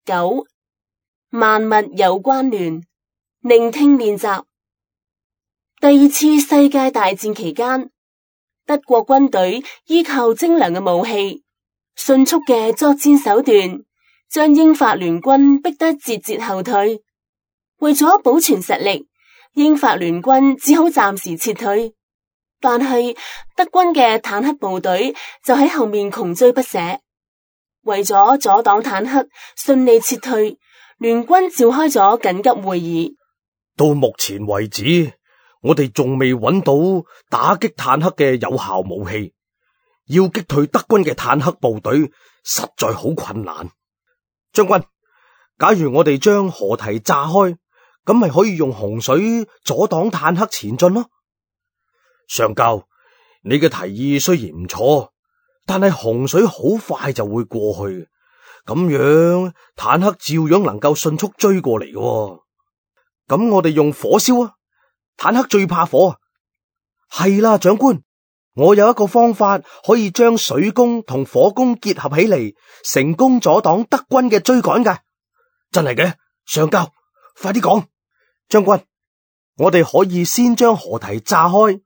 9. 萬物有關聯，聆聽練習。第二次世界大戰期間，德國軍隊依靠精良嘅武器、迅速嘅作戰手段，將英法聯軍逼得節節後退。為咗保存實力，英法聯軍只好暫時撤退。但係德軍嘅坦克部隊就喺後面窮追不捨。為咗阻擋坦克順利撤退，聯軍召開咗緊急會議。到目前為止，我哋仲未揾到打擊坦克嘅有效武器，要擊退德軍嘅坦克部隊實在好困難。將軍，假如我哋將河堤炸開，咁咪可以用洪水阻擋坦克前進咯。上校，你嘅提議雖然唔錯，但係洪水好快就會過去，咁樣坦克照樣能夠迅速追過嚟嘅。咁我哋用火燒啊，坦克最怕火啊。係啦，長官，我有一個方法可以將水攻同火攻結合起嚟，成功阻擋德軍嘅追趕㗎。真係嘅，上校，快啲講。將軍，我哋可以先將河堤炸開，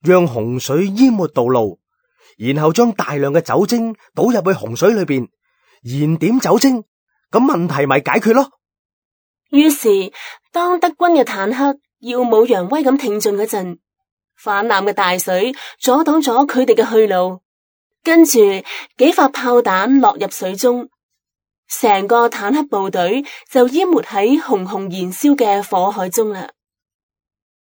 讓洪水淹沒道路，然後將大量嘅酒精倒入去洪水裏邊，燃點酒精，咁問題咪解決咯。於是當德軍嘅坦克耀武揚威咁挺進嗰陣，泛濫嘅大水阻擋咗佢哋嘅去路，跟住幾發炮彈落入水中，成個坦克部隊就淹沒喺熊熊燃燒嘅火海中啦。